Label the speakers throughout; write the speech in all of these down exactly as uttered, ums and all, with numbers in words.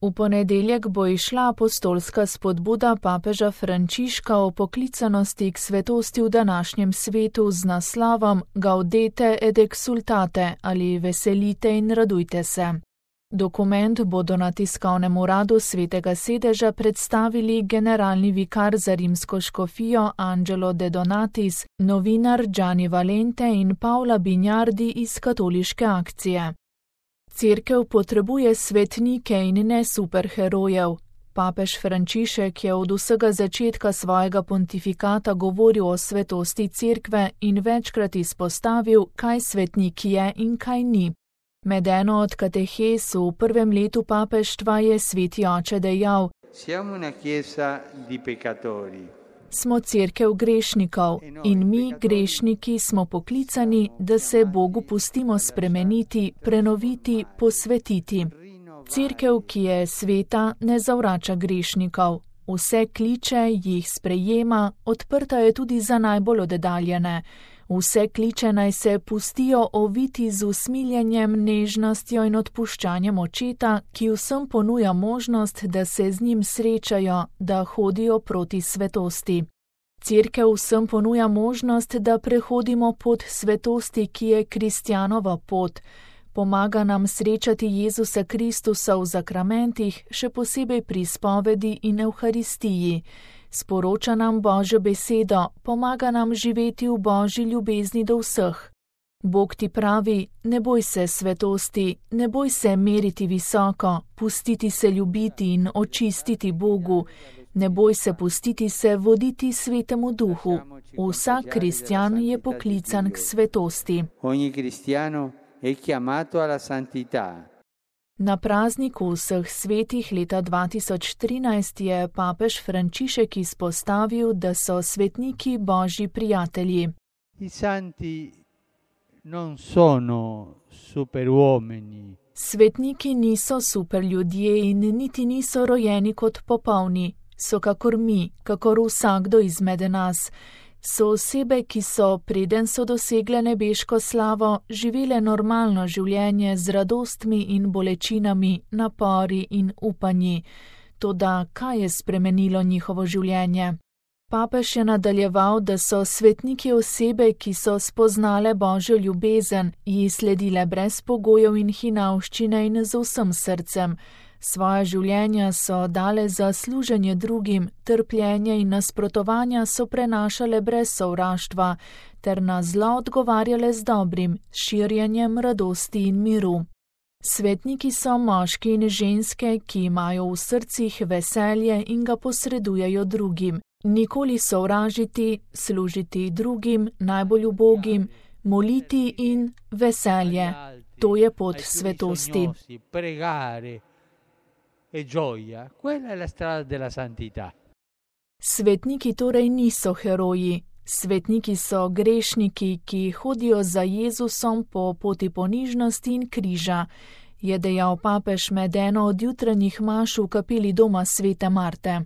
Speaker 1: V ponedeljek bo izšla apostolska spodbuda papeža Frančiška o poklicanosti k svetosti v današnjem svetu z naslovom Gaudete et exsultate ali Veselite in radujte se. Dokument bodo na tiskovnem uradu Svetega sedeža predstavili generalni vikar za rimsko škofijo Angelo De Donatis, novinar Gianni Valente in Paola Bignardi iz Katoliške akcije. Cerkev potrebuje svetnike in ne superherojev. Papež Frančišek je od vsega začetka svojega pontifikata govoril o svetosti cerkve in večkrat izpostavil, kaj svetnik je in kaj ni. Med eno od katehes v prvem letu papeštva je sveti oče dejal:
Speaker 2: Siamo una chiesa di peccatori.
Speaker 1: Smo cerkev grešnikov in mi, grešniki, smo poklicani, da se Bogu pustimo spremeniti, prenoviti, posvetiti. Cerkev, ki je sveta, ne zavrača grešnikov. Vse kliče, jih sprejema, odprta je tudi za najbolj oddaljene. Vse kliče naj se pustijo oviti z usmiljenjem, nežnostjo in odpuščanjem očeta, ki vsem ponuja možnost, da se z njim srečajo, da hodijo proti svetosti. Cerkev vsem ponuja možnost, da prehodimo pot svetosti, ki je kristjanova pot. Pomaga nam srečati Jezusa Kristusa v zakramentih, še posebej pri spovedi in evharistiji. Sporoča nam Božjo besedo, pomaga nam živeti v Božji ljubezni do vseh. Bog ti pravi: ne boj se svetosti, ne boj se meriti visoko, pustiti se ljubiti in očistiti Bogu, ne boj se pustiti se voditi Svetemu Duhu. Vsak kristjan je poklican k svetosti.
Speaker 2: Ogni cristiano è chiamato alla santità.
Speaker 1: Na prazniku vseh svetih leta dva tisoč trinajst je papež Frančišek izpostavil, da so svetniki Božji prijatelji.
Speaker 2: I santi non sono superuomini.
Speaker 1: Svetniki niso superljudje in niti niso rojeni kot popolni. So kakor mi, kakor vsakdo izmed nas. So osebe, ki so, preden so dosegle nebeško slavo, živele normalno življenje z radostmi in bolečinami, napori in upanji. Toda kaj je spremenilo njihovo življenje? Papež je nadaljeval, da so svetniki osebe, ki so spoznale Božjo ljubezen, ji sledile brez pogojev in hinavščine in z vsem srcem. Svoja življenja so dale za služenje drugim, trpljenje in nasprotovanja so prenašale brez sovraštva, ter na zlo odgovarjale z dobrim, širjenjem radosti in miru. Svetniki so moški in ženske, ki imajo v srcih veselje in ga posredujejo drugim. Nikoli sovražiti, služiti drugim, najbolj ubogim, moliti in veselje. To je pot svetosti.
Speaker 2: E gioia, quella è la strada della santità.
Speaker 1: Svetniki torej niso heroji. Svetniki so grešniki, ki hodijo za Jezusom po poti ponižnosti in križa, je dejal papež med eno od jutranjih maš v kapeli doma svete Marte.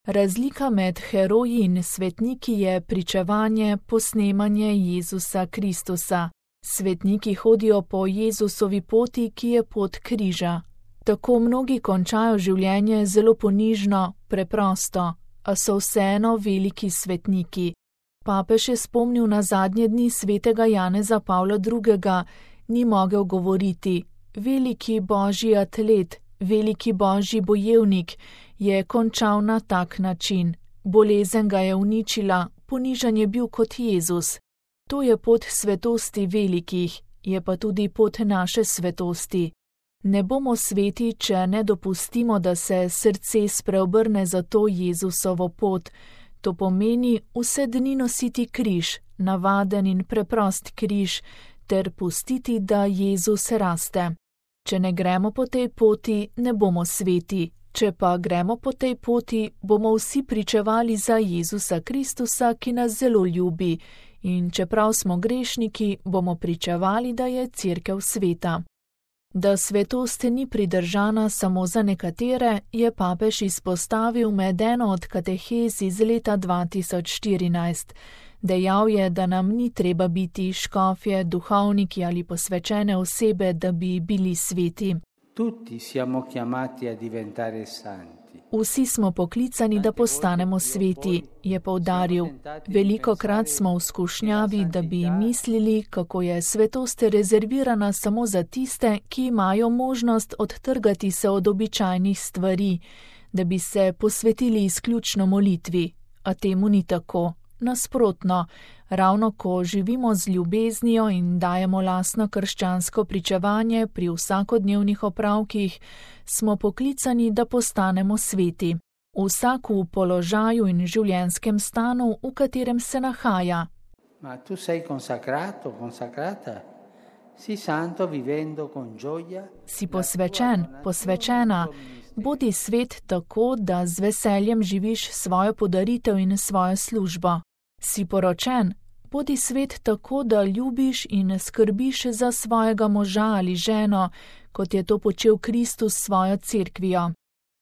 Speaker 1: Razlika med heroji in svetniki je pričevanje, posnemanje Jezusa Kristusa. Svetniki hodijo po Jezusovi poti, ki je pot križa. Tako mnogi končajo življenje zelo ponižno, preprosto, a so vseeno veliki svetniki. Papež je spomnil na zadnje dni svetega Janeza Pavla drugega, ni mogel govoriti: veliki Božji atlet, veliki Božji bojevnik, je končal na tak način. Bolezen ga je uničila, ponižan je bil kot Jezus. To je pot svetosti velikih, je pa tudi pot naše svetosti. Ne bomo sveti, če ne dopustimo, da se srce spreobrne za to Jezusovo pot. To pomeni vse dni nositi križ, navaden in preprost križ, ter pustiti, da Jezus raste. Če ne gremo po tej poti, ne bomo sveti. Če pa gremo po tej poti, bomo vsi pričevali za Jezusa Kristusa, ki nas zelo ljubi. In čeprav smo grešniki, bomo pričevali, da je cerkev sveta. Da svetost ni pridržana samo za nekatere, je papež izpostavil med eno od katehez iz leta dva tisoč štirinajst. Dejal je, da nam ni treba biti škofje, duhovniki ali posvečene osebe, da bi bili sveti.
Speaker 2: Tutti siamo chiamati a diventare santi.
Speaker 1: Vsi smo poklicani, da postanemo sveti, je poudaril. Velikokrat smo v skušnjavi, da bi mislili, kako je svetost rezervirana samo za tiste, ki imajo možnost odtrgati se od običajnih stvari, da bi se posvetili izključno molitvi. A temu ni tako. Nasprotno, ravno ko živimo z ljubeznijo in dajemo lastno krščansko pričevanje pri vsakodnevnih opravkih, smo poklicani, da postanemo sveti. Vsak v položaju in življenjskem stanu, v katerem se nahaja.
Speaker 2: Ma tu sei consacrato, consacrata? Si santo vivendo con gioia?
Speaker 1: Si posvečen, posvečena. Bodi svet tako, da z veseljem živiš svojo podaritev in svojo službo. Si poročen, bodi svet tako, da ljubiš in skrbiš za svojega moža ali ženo, kot je to počel Kristus s svojo cerkvijo.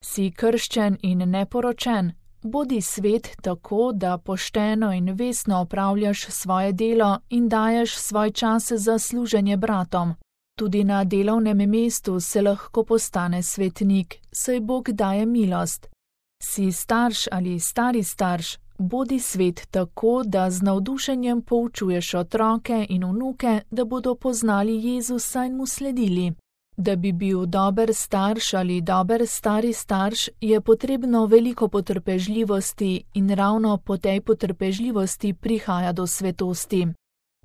Speaker 1: Si krščen in neporočen, bodi svet tako, da pošteno in vestno opravljaš svoje delo in daješ svoj čas za služenje bratom. Tudi na delovnem mestu se lahko postane svetnik, saj Bog daje milost. Si starš ali stari starš, bodi svet tako, da z navdušenjem poučuješ otroke in vnuke, da bodo poznali Jezusa in mu sledili. Da bi bil dober starš ali dober stari starš, je potrebno veliko potrpežljivosti in ravno po tej potrpežljivosti prihaja do svetosti.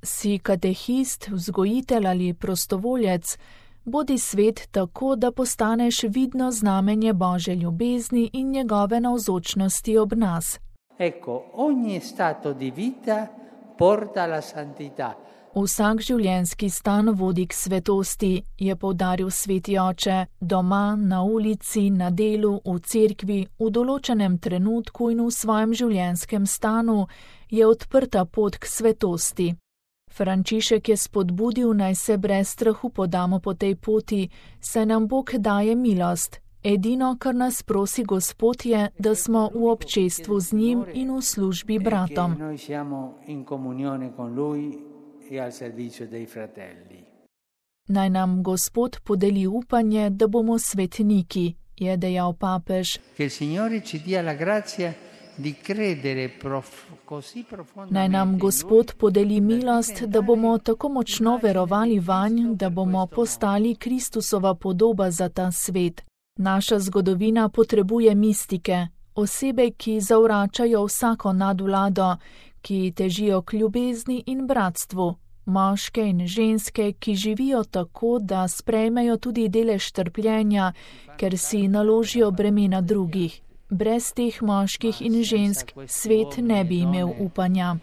Speaker 1: Si katehist, vzgojitelj ali prostovoljec, bodi svet tako, da postaneš vidno znamenje Božje ljubezni in njegove navzočnosti ob nas.
Speaker 2: Ecco, ogni stato di vita porta alla santità.
Speaker 1: Vsak življenjski stan vodi k svetosti, je poudaril sveti oče, doma, na ulici, na delu, v cerkvi, v določenem trenutku in v svojem življenjskem stanu je odprta pot k svetosti. Frančišek je spodbudil, naj se brez strahu podamo po tej poti, saj nam Bog daje milost. Edino, kar nas prosi Gospod, je, da smo v občestvu z njim in v službi bratom. Naj nam Gospod podeli upanje, da bomo svetniki, je dejal papež. Naj nam Gospod podeli milost, da bomo tako močno verovali vanj, da bomo postali Kristusova podoba za ta svet. Naša zgodovina potrebuje mistike, osebe, ki zavračajo vsako nadvlado, ki težijo k ljubezni in bratstvu, moške in ženske, ki živijo tako, da sprejmejo tudi delež trpljenja, ker si naložijo bremena drugih. Brez teh moških in žensk svet ne bi imel upanja.